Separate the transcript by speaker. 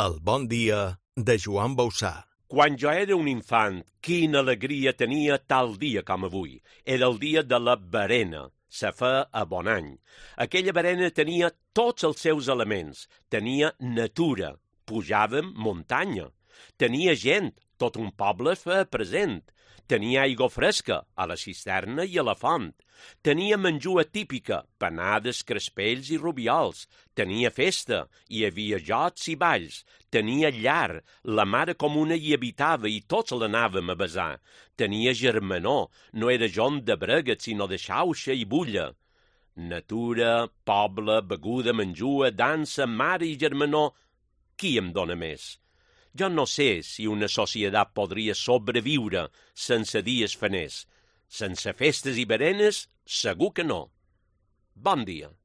Speaker 1: El bon dia de Joan Bausà.
Speaker 2: Quan jo era un infant, quina alegria tenia tal dia com avui. Era el dia de la berena. Se fa a bon any. Aquella berena tenia tots els seus elements. Tenia natura. Pujàvem muntanya. Tenia gent. Tot un poble feia present. Tenia aigua fresca a la cisterna i a la font. Tenia menjua típica, panades, crespells i rubiols. Tenia festa, hi havia jocs i balls. Tenia llar, la mare comuna hi habitava i tots l'anàvem a besar. Tenia germanor, no era John de Breguet, sinó de xauxa i bulla. Natura, poble, beguda, menjua, dansa, mare i germanor. Qui em dóna més? Jo no sé si una societat podria sobreviure sense dies faners. Sense festes i berenes, segur que no. Bon dia.